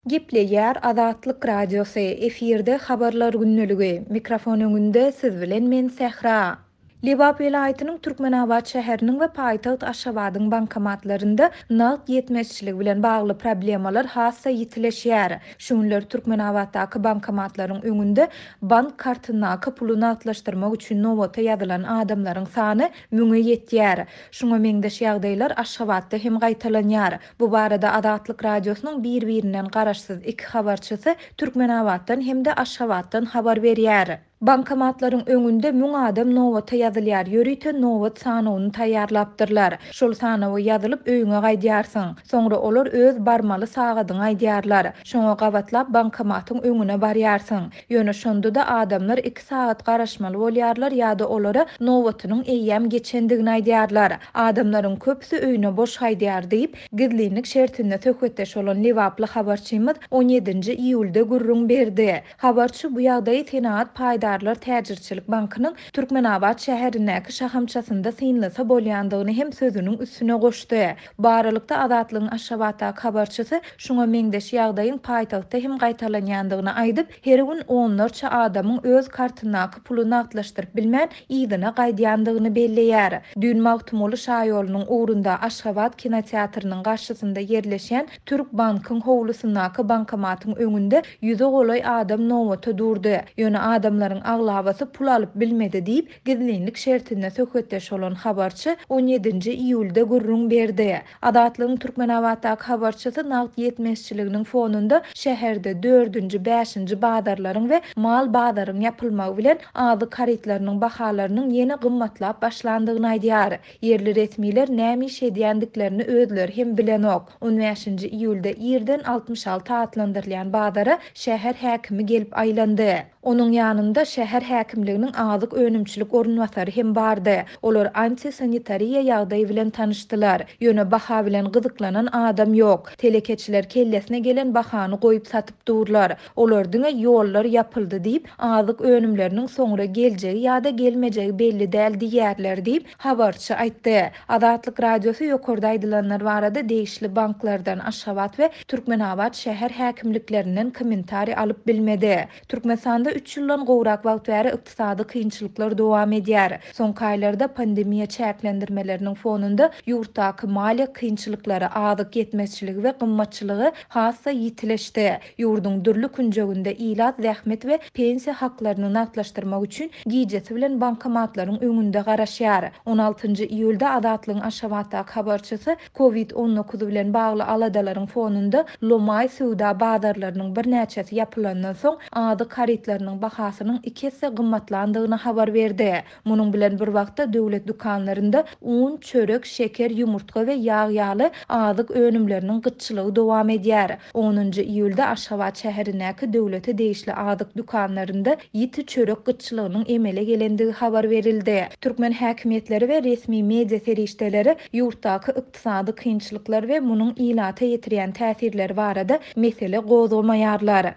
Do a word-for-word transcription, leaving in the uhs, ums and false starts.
Gepleýär Azatlyk Radiosy, efirde Habarlar gündeligi. Mikrofon öňünde siz bilen men Sähra. Lebap welaýatynyň Türkmenabat şäheriniň we paýtagt Aşgabadyň bankomatlarynda nagt ýetmezçiligi bilen bagly problemalar has-da ýitileşýär. Şu günler Türkmenabatdaky bankomatlaryň öňünde bank kartyndaky puly nagtlaşdyrmak üçin nobata ýazylan adamlaryň sany müňe ýetýär. Şuňa meňzeş ýagdaýlar Aşgabatda hem gaýtalanýar. Bu barada Azatlyk Radiosynyň bir-birinden garaşsyz iki habarçysy Türkmenabatdan hem-de Aşgabatdan habar berýär. Bankomatlaryň öňünde müň adam nobata ýazylýar, ýörite nobat sanawyny taýýarlapdyrlar. Şol sanawa ýazylyp öýüňe gaýdýarsyň. Soňra olar öz barmaly sagadyňy aýdýarlar. Şoňa gabatlap bankomatyň öňüne barýarsyň. Ýöne şonda-da adamlar iki sagat garaşmaly bolýarlar ýa-da olara nobatynyň eýýäm geçendigini aýdýarlar. Adamlaryň köpüsi öýüne boş gaýdýar diýip, gizlinlik şertinde söhbetdeş bolan lebaply habarçymyz on ýedinji iýulda gürrüň berdi. Habarçy bu ýagdaýy Senagat paýdarlar täjirçilik bankynyň Türkmenabat şäherindäki şahamçasynda synlasa bolýandygyny hem sözüniň üstüne goşdy. Bu aralykda Azatlygyň Aşgabatdaky habarçysy şuňa meňzeş ýagdaýyň paýtagtda hem gaýtalanýandygyny aýdyp, her gün onlarça adamyň öz kartyndaky puly nagtlaşdyryp bilmän yzyna gaýdýandygyny belleýär. Düýn Magtymguly şaýolunyň ugrunda Aşgabat kinoteatrynyň garşysynda ýerleşýän Türk bankyň howlusyndaky bankomatyň öňünde ýüze golaý adam nobata durdy. Ýöne adamlaryň aglabasy pul alyp bilmedi diýip, gizlinlik şertinde söhbetdeş bolan habarçy on ýedinji iýulda gürrüň berdi. Azatlygyň Türkmenabatdaky habarçysy nagt ýetmezçiliginiň fonunda şäherde dördünji, bäşinji bazarlaryň we mal bazaryň ýapylmagy bilen azyk harytlarynyň bahalarynyň ýene gymmatlap başlandygyny aýdýar. Ýerli resmiler näme iş edýändiklerini özleri hem bilenok. on bäşinji iýulda irden altmyş alty atlandyrylýan bazara şäher häkimi gelip aýlandy. Onuň ýanynda şäher häkimliginiň azyk önümçilik orunbasary hem bardy. Olar antisanitariýa ýagdaýy bilen tanyşdylar. Ýöne baha bilen gyzyklanan adam ýok. Telekeçiler kellesine gelen bahany goýup satyp durlar. Olar diňe ýollar ýapyldy diýip, azyk önümleriniň soňra geljegi ýa-da gelmejegi belli däl diýerler diýip, habarçy aýtdy. Azatlyk Radiosy ýokarda aýdylanlar barada degişli banklardan Aşgabat we Türkmenabat şäher häkimliklerinden kommentariý alyp bilmedi. Türkmenistanda üç ýyldan gowrak wagt bäri ykdysady kynçylyklar dowam edýär. Soňky aýlarda pandemiýa çäklendirmeleriniň fonunda ýurtdaky maliýe kynçylyklary, azyk ýetmezçiligi we gymmatçylygy has-da ýitileşdi. Ýurduň dürli künjeginde ilat zähmet we pensiýa haklaryny nagtlaşdyrmak üçin gijesi bilen bankomatlaryň öňünde garaşýar. on altynjy iýulda Azatlygyň Aşgabatdaky habarçysy kovid on dokuz bilen bagly aladalaryň fonunda lomaý söwda bazarlarynyň birnäçesi ýapylandan soň azyk harytlarynyň bahasynyň iki esse gymmatlandygyny habar berdi. Munuň bilen bir wagtda döwlet dükanlarynda un, çörek, şeker, ýumurtga we ýag ýaly azyk önümleriniň gytçylygy dowam edýär. Onunjy iýulda Aşgabat şäherindäki döwlete degişli azyk dükanlarynda ýiti çörek gytçylygynyň emele gelendigi habar berildi. Türkmen häkimiýetleri we resmi media serişdeleri ýurtdaky ykdysady kynçylyklar we munuň ilata ýetirýän täsirleri barada mesele gozgamaýarlar.